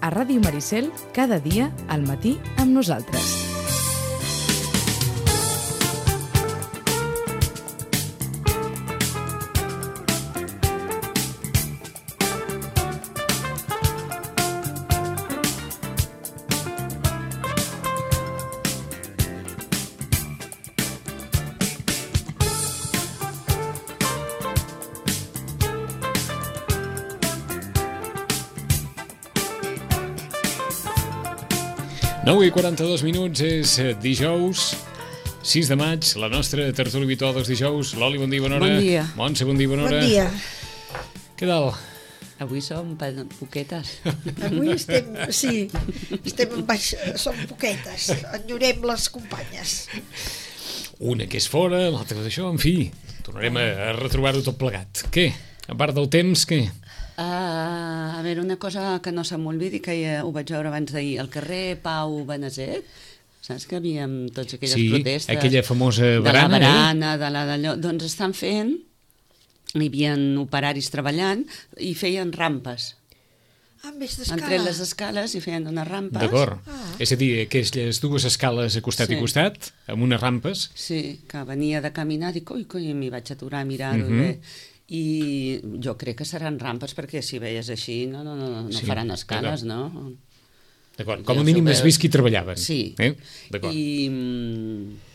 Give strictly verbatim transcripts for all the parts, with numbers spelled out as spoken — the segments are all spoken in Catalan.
a Ràdio Maricel, cada dia al matí amb nosaltres. nou i quaranta-dos minuts, és dijous, sis de maig, la nostra tertúlia habitual dels dijous. Loli, bon dia, bona hora. Bon dia. Montse, bon dia, bona hora. Bon dia. Què tal? Avui som poquetes. Avui estem, sí, estem en baix, som poquetes, enyorem les companyes. Una que és fora, l'altra d'això, en fi, tornarem a, a retrobar-ho tot plegat. Què? A part del temps, què? Uh, a veure, una cosa que no se m'olvidi, que ja ho vaig veure abans d'ahir, al carrer Pau Beneset, saps que havíem tots aquelles sí, protestes? Sí, aquella famosa barana. De la barana, eh? de la d'allò. Doncs estan fent, hi havia operaris treballant i feien rampes. Ah, en vez d'escala. Entre les escales i feien unes rampes. D'acord. Ah. És a dir, aquelles dues escales a costat Sí. i costat, amb unes rampes. Sí, que venia de caminar, dic, ui, coi, m'hi vaig aturar a mirar-ho. Mhm. bé. I jo crec que seran rampes perquè si veies així no, no, no, no Sí, faran escales, no? D'acord, com a Ja mínim s'ho has veu. vist qui treballaven. Sí. Eh? D'acord. I, mm,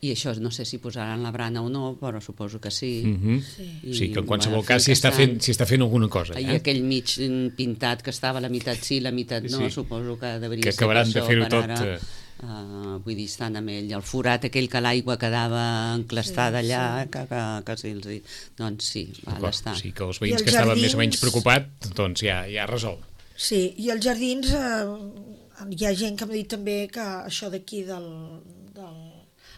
I això no sé si posaran la brana o no, però suposo que sí. Mhm. Sí. I, Sí, que en qualsevol bueno, cas s'hi està, estan- fent, s'hi està fent alguna cosa. I Eh? aquell mig mm, pintat que estava, la meitat sí, la meitat no, Sí. suposo que devia Que ser acabaran per de això, fer-ho per tot, ara. eh. Uh, vull dir, estan amb ell, el forat aquell que l'aigua quedava enclastada Sí, allà, sí. que, que, que sí, els hi... doncs sí, va, D'acord. està. O sigui que els I veïns els que estaven més o jardins- menys preocupats, doncs ja, ja resol. Sí, i els jardins, eh, hi ha gent que m'ha dit també que això d'aquí del... del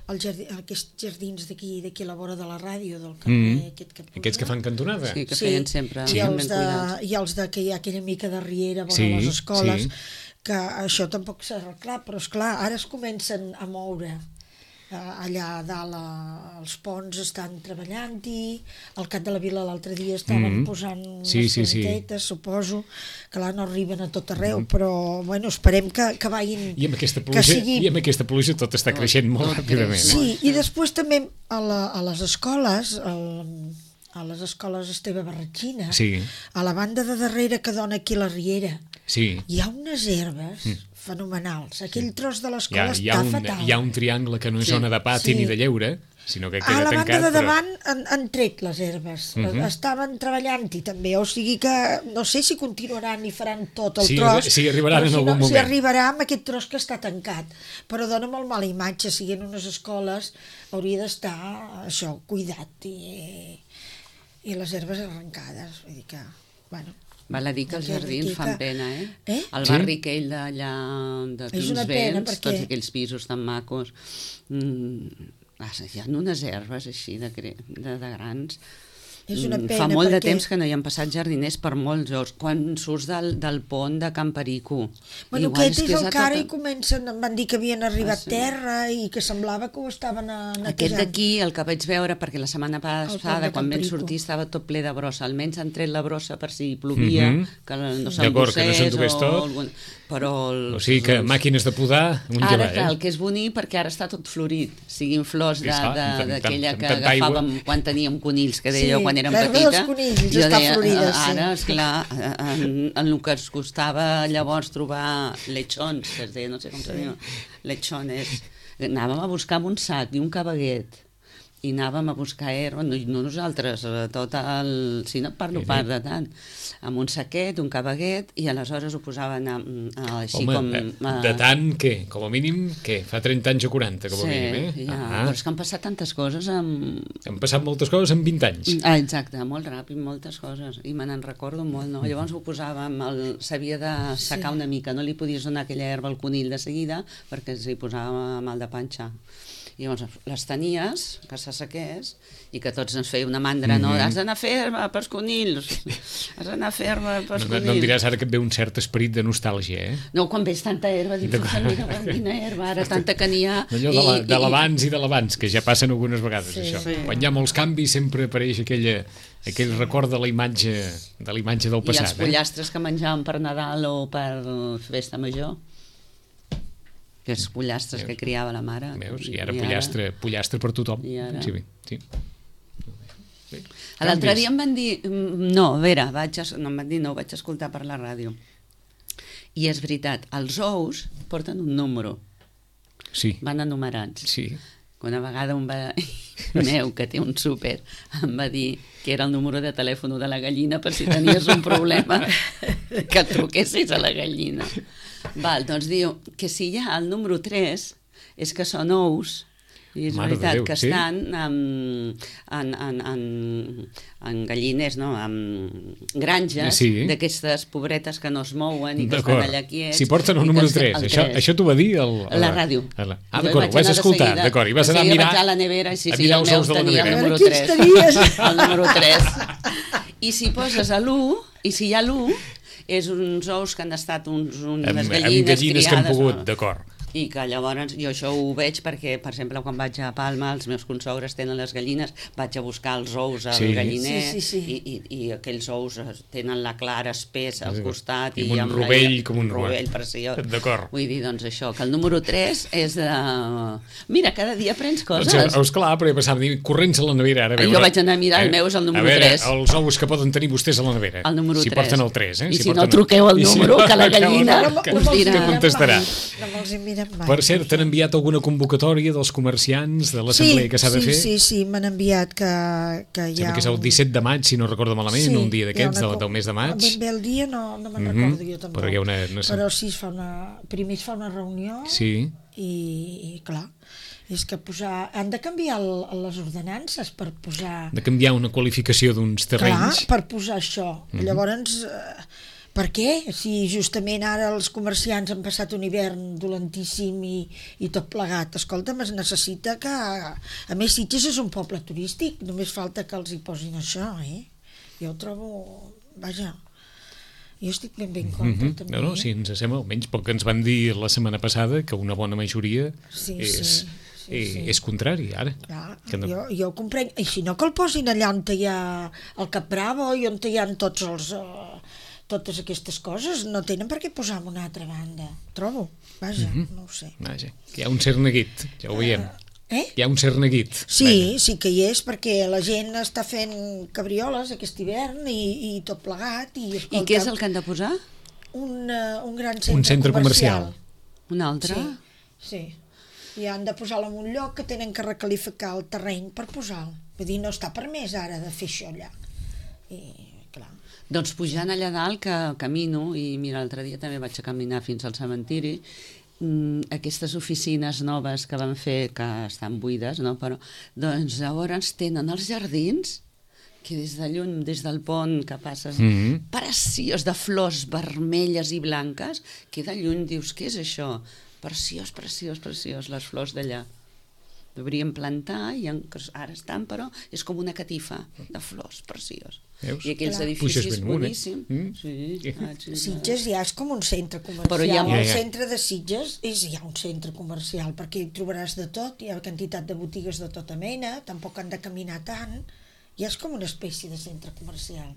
el jardí, aquests jardins d'aquí d'aquí a la vora de la ràdio, del carrer, Mm. aquest que posa. Aquests que fan cantonada. Sí, que feien sempre i, ben els de, cuidats. i els de que hi ha aquella mica de riera vora Sí, les escoles, sí. que això tampoc s'ha arreglat, però esclar, ara es comencen a moure. Eh, allà a dalt eh, els ponts estan treballant-hi, al Cap de la Vila l'altre dia estaven Mhm. posant Sí, unes sí, sí. plantetes, suposo, que là no arriben a tot arreu, però bueno, esperem que, que vagin... I amb aquesta que pluja, sigui... i amb aquesta pluja tot està Tot, creixent molt tot ràpidament. creix. Eh? Sí, i després també a, la, a les escoles, al, a les escoles Esteve Barratxina, Sí. a la banda de darrere que dona aquí la riera, Sí. hi ha unes herbes fenomenals. Aquell tros de Hi ha, l'escola hi, ha està un, fatal. hi ha un triangle que no és Sí. zona de pati Sí. ni de lleure, sinó que A queda la tancat. banda de però- davant han, han tret les herbes. Mhm. Estaven treballant-hi també, o sigui que no sé si continuaran i faran tot el Sí, tros. sí, arribaran però en si algun no, Si moment. arribarà amb aquest tros que està tancat. Però dona molt mala imatge, si en unes escoles hauria d'estar això, cuidat i, i les herbes arrencades. Vull dir que, bueno... Val a dir que els Aquella jardins botica- fan pena, eh? Eh? El Sí? barri aquell d'allà de És una pena, Pinsbens, perquè- tots aquells pisos tan macos, mm, ah, hi ha unes herbes així de, gre- de, de grans. És una Mm, pena Fa molt de perquè- temps que no hi han passat jardiners per molts horts. Quan surts del, del pont de Can Perico... Bueno, igual aquest és que el a que ara tota- hi comencen, em van dir que havien arribat Ah, sí? terra i que semblava que ho estaven a Aquest d'aquí, el que vaig veure, perquè la setmana pont passada, de quan Can vam Perico. sortir, estava tot ple de brossa. Almenys han tret la brossa per si plovia, Mhm. que no D'acord, que no s'embossés s'endugués o tot. algun... Però els, O sigui que màquines de podar, un Ara, llevar, clar, el eh? que és bonic, perquè ara està tot florit, siguin flors Sí, de- esclar, de- amb tant- d'aquella amb que tanta aigua. agafàvem quan teníem conills, que deia Sí, jo quan érem l'herba petita. dels conills Jo està deia, florida, sí. Ara, esclar, en, en el que ens costava llavors trobar lechons, que es deia, no sé com se diu, lechones, anàvem a buscar amb un sac i un cabaguet, i anàvem a buscar herba, no, no nosaltres, eh, tot el... Si no et parlo pas de tant, amb un saquet, un cabaguet, i aleshores ho posaven a, a, així Home, com... de, a- de tant, què? Com a mínim, què? Fa trenta anys o quaranta, com a sí, mínim, eh? ja, Ah, però és que han passat tantes coses amb... han passat moltes coses en vint anys. Ah, exacte, molt ràpid, moltes coses, i me n'en recordo molt, no? Llavors ho posàvem, el... s'havia de secar Sí. una mica, no li podies donar aquella herba al conill de seguida perquè s'hi posava mal de panxa. I llavors les tenies, que s'assequés, i que tots ens feia una mandra, no? Mhm. Has d'anar a fer-me pels conills, has d'anar a fer-me pels No, conills. no em diràs ara que et ve un cert esperit de nostàlgia, eh? No, quan veig tanta herba, dic, puta, mira, quina herba, ara tanta que n'hi ha. Allò de la- de l'abans i de l'abans, que ja passen algunes vegades, Sí. això. Sí. Quan hi ha molts canvis sempre apareix aquella, aquell record de la imatge, de la imatge del I els passat, eh? pollastres que menjàvem per Nadal o per festa major, que els pollastres que criava la mare. Veus? I ara pollastre, pollastre per tothom. I ara? Sí, bé, sí. Bé, L'altre canvis. dia em van dir... mm, No, a veure, vaig, es- no em van dir, no, ho vaig escoltar per la ràdio. I és veritat, els ous porten un número, Sí, van enumerats. sí. Una vegada un veí meu, que té un súper, em va dir que era el número de telèfon de la gallina per si tenies un problema que truquessis a la gallina. Val, doncs diu que si hi ha el número tres és que són ous, i és Mare de veritat Déu, que sí? estan en, en, en, en, en galliners, no? En granges Sí. d'aquestes pobretes que no es mouen i que D'acord. estan allà quiets. Si porten el i que número es- tres, el això, tres. això t'ho va dir el, a La ràdio. a la... Ah, Jo d'acord, vaig ho vas anar de escoltar, seguida. d'acord, i vas De anar a seguida mirar... vaig a la nevera i sí, a sí, mirar el els meu ous de la tenia el nevera. número A veure tres. quins tenies. El número tres. I si poses a l'u, i si hi ha l'u, és uns ous que han estat uns, unes Amb, gallines, amb gallines que han criades, pogut, no? d'acord. I que llavors jo això ho veig perquè, per exemple, quan vaig a Palma, els meus consogres tenen les gallines, vaig a buscar els ous al Sí. galliner, Sí, sí, sí. I, i, i aquells ous tenen la clara espessa al Sí. costat. I I, amb un amb rovell la, com un rovell preciós. D'acord. Vull dir, doncs això, que el número tres és de... Mira, cada dia aprens coses. Doncs, eh, esclar, però passava a dir, corrents a la nevera, ara a veure... Jo vaig anar a mirar, el meu és el número a veure, tres. els ous que poden tenir vostès a la nevera. El número si tres. porten el tres, eh? I si porten no, truqueu al I si número, que la truqueu al gallina número, No, que- no us me'ls dirà. que mirem contestarà. mai, No me'ls hi mirem mai. Per cert, t'han enviat alguna convocatòria dels comerciants de l'assemblea que s'ha de sí, fer? Sí, sí, m'han enviat que, que hi Sembla ha... que és el disset de maig, si no recordo malament, un dia d'aquests, hi ha del, una del mes de maig. Ben bé el dia no, no me'n Mhm, recordo jo tampoc. però hi ha una- una- Però sí, es fa una... primer es fa una reunió Sí, i, i clar, és que posar... han de canviar el, les ordenances per posar... de canviar una qualificació d'uns Clar, terrenys. per posar això. Mhm. Llavors, eh, per què? Si justament ara els comerciants han passat un hivern dolentíssim i, i tot plegat. Escolta'm, es necessita que... A més, Sitges és un poble turístic, només falta que els hi posin això, eh? Jo ho trobo... Vaja, jo estic ben ben contra, Mhm. també. No, no, sí, ens sembla, almenys pel que ens van dir la setmana passada, que una bona majoria Sí, és, sí, sí, eh, sí. és contrari, ara. Clar, Que no- jo, jo ho comprenc. I si no, que el posin allà on hi ha el Cap Bravo i on hi ha tots els... Uh, totes aquestes coses, no tenen per què posar en una altra banda, trobo, vaja, Mhm. no ho sé. Vaja, que hi ha un cert neguit, ja ho veiem. Eh? Hi ha un cert neguit. Sí, sí que hi és, perquè la gent està fent cabrioles aquest hivern i, i tot plegat. I, escolta, I què és el que han de posar? Un, uh, un gran centre, Un centre comercial. Un altre? Sí, sí. I han de posar-lo en un lloc que tenen que recalificar el terreny per posar-lo. Vull dir, no està permès ara de fer això allà. I, clar... Doncs pujant allà dalt, que camino, i mira, l'altre dia també vaig a caminar fins al cementiri, mm, aquestes oficines noves que van fer, que estan buides, no? Però, doncs llavors tenen els jardins, que des de lluny, des del pont que passes, Mhm. preciós, de flors vermelles i blanques, que de lluny dius, què és això? Preciós, preciós, preciós, les flors d'allà. Deurien plantar, i en, ara estan, però és com una catifa de flors, preciós. Veus? I aquells Clar. edificis Puixes ben amunt, eh? boníssims. Mm? Sí, Sí. ah, sí, Sitges ja és com un centre comercial. Però hi ha- El Ja, ja. centre de Sitges és ja un centre comercial, perquè hi trobaràs de tot, hi ha quantitat de botigues de tota mena, tampoc han de caminar tant, ja és com una espècie de centre comercial.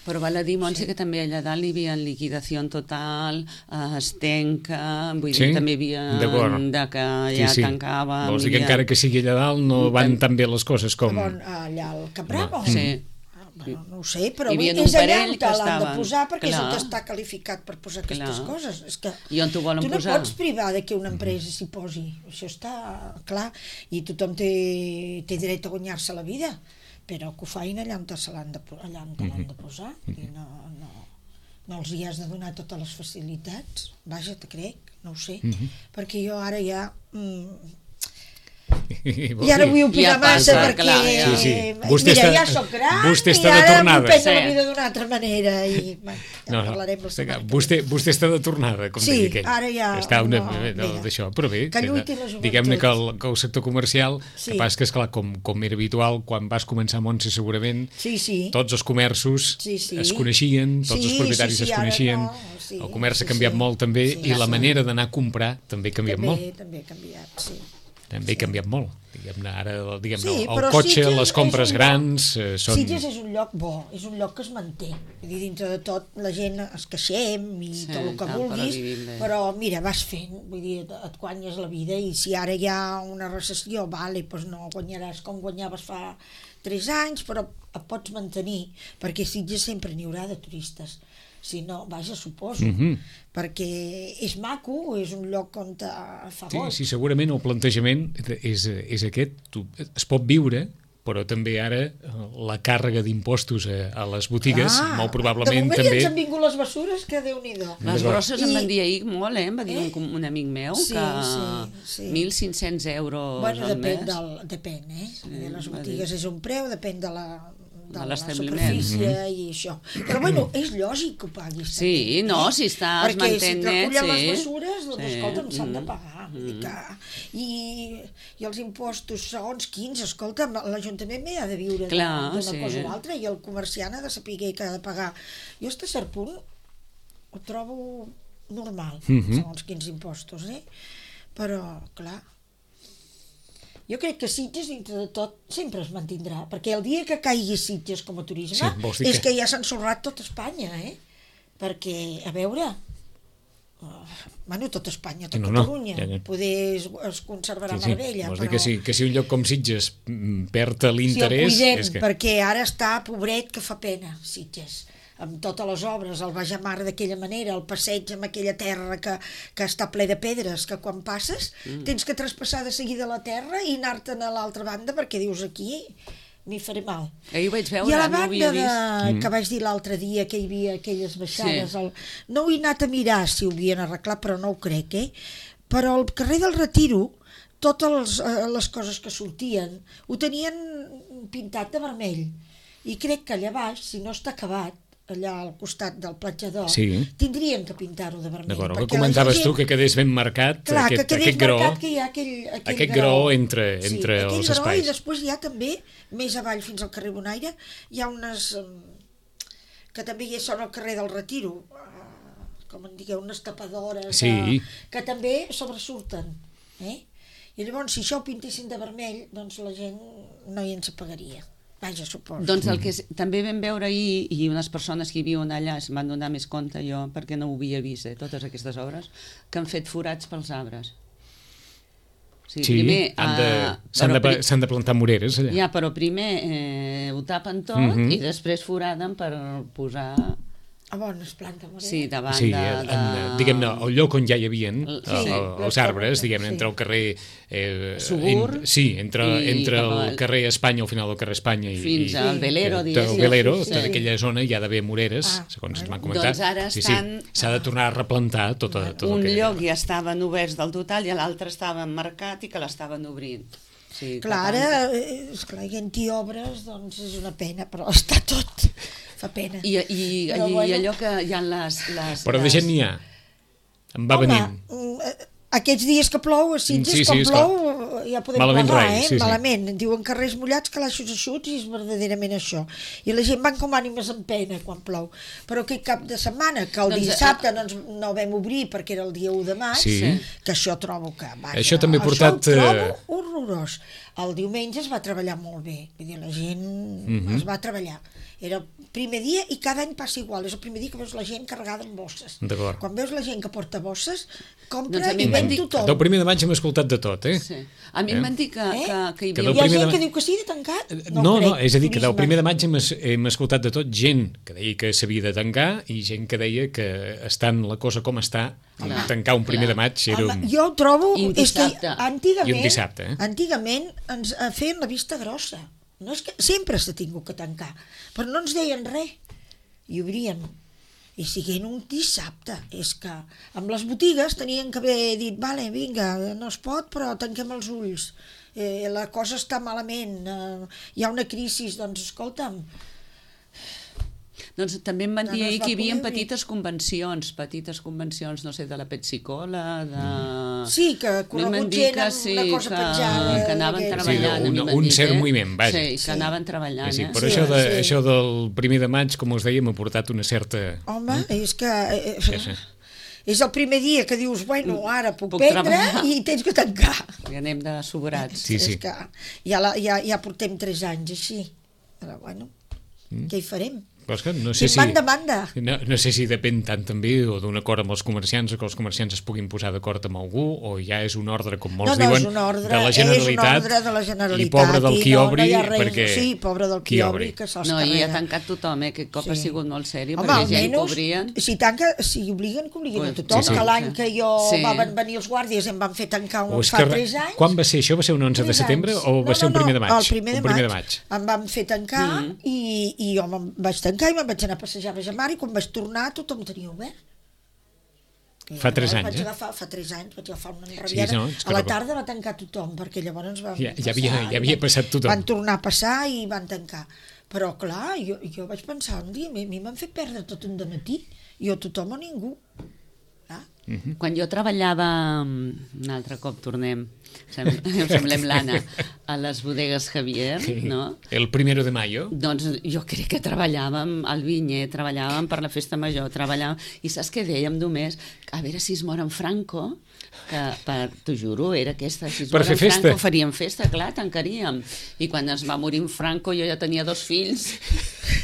Però val a dir, Montse, sí. que també allà dalt hi havia liquidació total, eh, estenca, vull Sí? dir, també hi havia D'acord. de que ja tancava. Vols dir que encara que sigui allà dalt no van tan bé les coses com... Bon, allà al Cap Bravo. Sí. Ah, bueno, no ho sé, però Hi havia vull dir, un és allà parell on que l'han de estaven. posar perquè és Clar. el que està qualificat per posar aquestes Clar. coses. És que I on t'ho volen tu no posar? pots privar de que una empresa s'hi posi. Això està clar. I tothom té, té dret a guanyar-se la vida, però que ho fain allà on se l'han de, po- allà on te l'han de posar. I no, no, no els hi has de donar totes les facilitats. Vaja, te crec, no ho sé. Perquè jo ara ja... Mm, I ara vull opinar Ja massa passa, perquè... clar, ja. Sí, sí. Vostè Mira, està- ja soc gran vostè està i de ara tornada. m'ho prendo Sí. la vida d'una altra manera i bueno, ja No, no, parlarem la setmana que ve. vostè, vostè està de tornada, com Sí, deia aquell. ara ja- Està una, no, no, mira. d'això, però bé, Que lluiti la joventut. diguem-ne que el, que el sector comercial, Sí. que pas que, esclar, com, com era habitual, quan vas començar a Montse segurament, Sí, sí. tots els comerços Sí, sí. es coneixien, tots Sí, els propietaris sí, sí, es ara coneixien, no, sí, el comerç sí, ha canviat sí. molt també, Sí, i la sí. manera d'anar a comprar també ha canviat també, molt. També ha canviat, sí. També ha canviat molt. Diguem-ne, ara diguem Sí, el però cotxe, Sitges les és compres un lloc- grans eh, són... Sitges és un lloc bo, és un lloc que es manté. Vull dir, dintre de tot, la gent es queixem i Sí, tot el que tal, vulguis, però vivim bé. però mira, vas fent, vull dir, et, et guanyes la vida i si ara hi ha una recessió, vale, doncs no guanyaràs com guanyaves fa tres anys, però et pots mantenir, perquè Sitges sempre n'hi haurà de turistes. Si no, vaja, suposo, Mhm. perquè és maco, és un lloc on te fa Sí, boig. sí, segurament el plantejament és, és aquest. Tu, es pot viure, però també ara eh, la càrrega d'impostos a, a les botigues, Ah, molt de probablement moment també... ja ens han vingut les bessures, que Déu-n'hi-do. Les D'acord. brosses em I- van dir ahir molt, eh? Em va dir Eh? un, un amic meu Sí, que sí, sí. mil cinc-cents euros Bueno, al depèn, mes. del, depèn eh? Sí, de les va botigues és un preu, depèn de la, de, De la l'establiment. superfície i això. Però bueno, és lògic que ho paguis. Sí, també, no, eh? si estàs Perquè mantenint si net, recullen les sí. mesures, doncs Sí, escolta'm, s'han de mm, pagar. Vull dir que... I, I els impostos, segons quins, escolta'm, l'Ajuntament m'hi ha de viure Clar, d'una sí. cosa o altra i el comerciant ha de saber que ha de pagar. Jo, fins a cert punt, ho trobo normal, Mhm. segons quins impostos, eh? Però, clar, jo crec que Sitges, dintre de tot, sempre es mantindrà, perquè el dia que caigui Sitges com a turisme Sí, vols dir és que- que ja s'ha ensorrat tot Espanya, eh? Perquè, a veure, uh, bueno, tot Espanya, tot No, no, Catalunya, ja, ja. poder es, es conservarà Sí, sí. meravella, Vols però... dir que si, que si un lloc com Sitges mm, perd Si el l'interès... cuidem, és que... perquè ara està pobret que fa pena, Sitges, amb totes les obres, el Bajamar d'aquella manera, el passeig amb aquella terra que, que està ple de pedres, que quan passes mm. tens que traspassar de seguida la terra i anar-te'n a l'altra banda perquè dius aquí m'hi faré mal. Ahir ho vaig veure, I a la no ho banda havia de, vist. Mm. que vaig dir l'altre dia que hi havia aquelles baixades, Sí. el, no ho he anat a mirar si ho havien arreglat, però no ho crec, eh? Però al carrer del Retiro, totes les, eh, les coses que sortien ho tenien pintat de vermell. I crec que allà baix, si no està acabat, allà al costat del platjador, Sí. tindrien que pintar-ho de vermell. D'acord, el que perquè la comentaves gent- tu, que quedés ben marcat Clar, aquest, que quedés aquest gró, marcat que hi ha aquell, aquell aquest gró entre, entre sí, els aquell gró, espais. I després hi ha també, més avall fins al carrer Bonaire, hi ha unes... em, que també hi són al carrer del Retiro, eh, com en digueu, unes tapadores Sí. eh, que també sobresurten. Eh? I llavors, si això ho pintessin de vermell, doncs la gent no hi ens apagaria. Vaja, suposo. Doncs el que s- també vam veure ahir, i unes persones que hi viuen allà es van donar més compte, jo, perquè no ho havia vist, eh, totes aquestes obres, que han fet forats pels arbres. O sigui, Sí, primer, han de, eh, s'han però de, pri- s'han de plantar moreres allà. Ja, però primer eh, ho tapen tot Mhm. i després foraden per posar... A bones plantes, morena. Sí, davant Sí, de... en, de... en, diguem-ne, el lloc on ja hi havia Sí, els arbres, diguem-ne, entre el carrer... Eh, Sugur en, sí, entre, i entre cap el al- carrer Espanya, al final del carrer Espanya i, Fins i, al Velero, eh, diguéssim. el Velero, Sí, sí. tota aquella zona hi ha d'haver moreres, Ah, segons ens bueno. van comentar. Doncs ara sí, estan- sí, s'ha de tornar a replantar tota, tot Un el que... lloc ja estaven oberts del total i l'altre estava marcat i que l'estaven obrint. Sí, Clar, cap ara, al- eh, esclar, hi ha obres, doncs és una pena, però està tot, fa pena. I, i, Però i, bueno. i allò que hi ha les... les Però de les... gent n'hi ha. Em va Home, venint. mm, eh, aquests dies que plou a Sitges, Sí, sí, quan és clar. plou, ja podem Malament plegar, rai, eh? sí, sí. Malament. Diuen carrers mullats, calaixos eixuts, i és verdaderament això. I la gent van com ànimes en pena quan plou. Però aquest cap de setmana, que el Doncs, dissabte no, ens, no vam obrir perquè era el dia u de maig, Sí. que això trobo que... Vaja, Això també ha portat, Això ho eh, trobo horrorós. El diumenge es va treballar molt bé. Vull dir, la gent Mhm. es va treballar. Era el primer dia i cada any passa igual. És el primer dia que veus la gent carregada amb bosses. D'acord. Quan veus la gent que porta bosses, compra Doncs a mi i em ven van dir- tothom. Del primer de maig hem escoltat de tot, eh? Sí. A mi Eh? em van dir que, Eh? que, que hi Que havia... del Hi ha primer gent de- que diu que sí, de tancat? No, no, crec, no, és a dir, que del turisme. primer de maig hem, es- hem escoltat de tot gent que deia que s'havia de tancar i gent que deia que estant la cosa com està, Clar, tancar un primer clar. de maig era Home, un... jo ho trobo... I un és que dissabte. antigament, I un dissabte, eh? antigament ens eh, feien la vista grossa. No és que sempre s'ha tingut que tancar, però no ens deien res. I obríem. i siguent un dissabte. És que amb les botigues tenien que haver dit, vale, vinga, no es pot, però tanquem els ulls. Eh, la cosa està malament, eh, hi ha una crisi, doncs escolta'm. Doncs també em van dir No, no es ahir va que hi havia poder dir. petites convencions, petites convencions, no sé, de la Pepsi-Cola, de... Sí, que A mi corregut m'han dit gent que amb sí, una cosa que, penjada. que anaven d'aquest- treballant. Sí, a mi un- m'han un dit, cert eh? moviment, vaja. Sí, que Sí. anaven treballant, Sí, eh? però Sí, això, de, sí. això del primer de maig, com us deia, m'ha portat una certa... Home, és que... Eh, Sí, sí. és el primer dia que dius, bueno, ara puc, Puc prendre treballar. i tens que tancar. I anem de sobrats. Sí, sí. És que ja, la, ja, ja portem tres anys així. Però bueno, mm. què hi farem? Però és que no sé Si si... manda, manda. No, no sé si depèn tant també o d'un acord amb els comerciants o que els comerciants es puguin posar d'acord amb algú o ja és un ordre, com molts No, no, diuen, és un ordre, de la és un Generalitat, ordre de la Generalitat i pobre del qui i no, obri, no hi ha res, perquè... sí, pobre del qui obri, que se'ls No, i ha carrega. tancat tothom, eh? Aquest cop Sí. ha sigut molt sèrio, Home, perquè gent que almenys, obrien... si, tanca, si obliguen, que obliguen a Pues, tothom, sí, sí. que l'any que jo Sí. van venir els guàrdies em van fer tancar O un, és fa que, tres anys. quan va ser això? Va ser un onze de Tres setembre anys. o va No, ser un no, primer de no, maig? El primer de, un primer maig. de maig. Em van fer tancar Mm. i, i jo me'n vaig tancar i me'n vaig anar a passejar a Bajamar i quan vaig tornar tothom tenia obert. I Fa tres llavors anys, vaig eh? agafar, fa tres anys vaig agafar una Sí, enrabiada. no, és que a la recordo. tarda va tancar tothom, perquè llavors van Ja- ja passar havia- i ja havia van- passat tothom. Van tornar a passar i van tancar. Però clar, jo, jo vaig pensar un dia, a mi, a mi m'han fet perdre tot un dematí, jo tothom o ningú. Clar. Quan jo treballava, un altre cop tornem, sem em semblem l'Anna, a les bodegues Javier, no? El primero de mayo. Doncs jo crec que treballàvem al Vinyer, treballàvem per la festa major, treballàvem... I saps què dèiem només? A veure si es mor en Franco, que, per, t'ho juro, era aquesta. Si es Per mor fer en Franco festa. faríem festa, clar, tancaríem. I quan es va morir en Franco jo ja tenia dos fills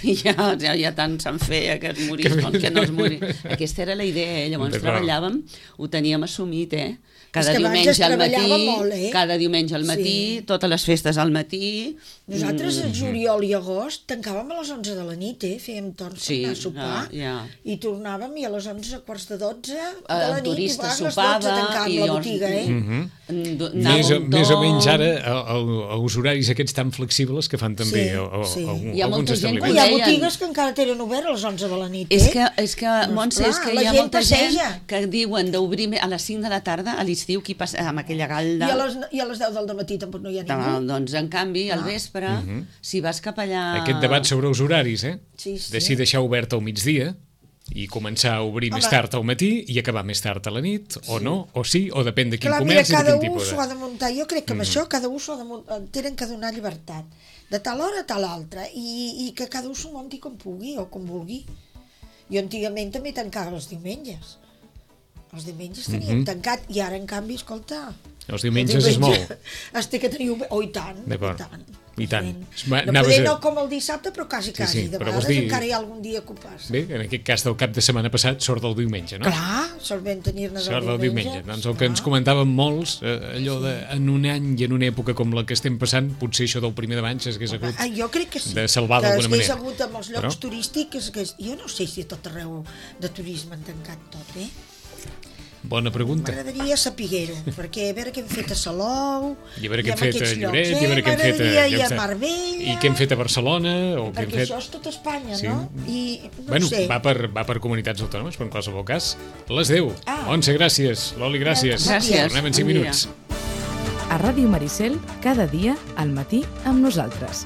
i ja, ja, ja tant se'n feia que es morís com que no es morís. Aquesta era la idea, eh? Llavors Però- treballàvem, ho teníem assumit, eh? Cada És que abans diumenge es al matí, treballava molt, eh? cada diumenge al matí, Sí. totes les festes al matí. Nosaltres, el juliol i agost, tancàvem a les onze de la nit, eh? Fèiem torns Sí, per anar a sopar, ja, ja. i tornàvem i a les onze, quarts de dotze de El la nit, turista i a les sopava dotze tancàvem i la llavors- botiga, eh? Mhm. Anava Més, o, un més o to- menys ara el, el, els horaris aquests tan flexibles que fan també Sí, o, o, sí. algun- Hi ha molta alguns gent que Hi ho ha establiments. deien. botigues que encara tenen obert a les onze de la nit, eh? És que, és que Doncs, Montse, és clar, que la hi ha gent molta passeja. gent que diuen d'obrir me- a les cinc de la tarda a l'estiu, qui passa amb aquella I galda. a, les, I a les deu del matí tampoc no hi ha ningú. Doncs, en canvi, al vespre, si vas cap allà... Aquest debat sobre els horaris, eh? Sí, sí. De si deixar obert al migdia i començar a obrir Home. més tard al matí i acabar més tard a la nit, o no, o sí, o depèn de quin Clar, mira, comerç i de cada quin un tipus s'ho de... ha de muntar. Jo crec que amb això cada un s'ho ha de muntar, tenen que donar llibertat. De tal hora a tal altra. I, i que cada un s'ho munti com pugui o com vulgui. Jo antigament també tancava els diumenges. Els diumenges teníem Mhm. tancat i ara, en canvi, escolta... Els diumenges és molt. Es té que tenir... obert. Oh, i tant, i D'acord. tant. I tant. Evident. Va, No anaves poder a- no com el dissabte, però quasi, Sí, quasi. sí, De però vols vegades dir- encara hi ha algun dia que ho passa. Bé, en aquest cas del cap de setmana passat sort del diumenge, no? Clar, solvent tenir-ne Sort del diumenge. Doncs el que ens comentàvem molts, eh, allò de en un any i en una època com la que estem passant, potser això del primer de maig s'hagués hagut Ah, jo crec que sí. de salvar que d'alguna es hagués manera. hagut amb els llocs Però- turístics, que es- jo no sé si a tot arreu de turisme han tancat tot, eh? Bona pregunta. M'agradaria saber-ho, perquè a veure què hem fet a Salou... I a veure què hem amb fet a aquests Lloret, llocs, i a veure què hem fet a... M'agradaria ir llocs a de- Marbella... I què hem fet a Barcelona, o què hem Perquè fet... això és tot Espanya, Sí. no? I no Bueno, ho sé. va per, va per comunitats autònomes, però en qualsevol cas, les deu. Ah. Montse, gràcies. Loli, gràcies. Gràcies. Tornem en cinc Bon dia. minuts. A Ràdio Maricel, cada dia, al matí, amb nosaltres.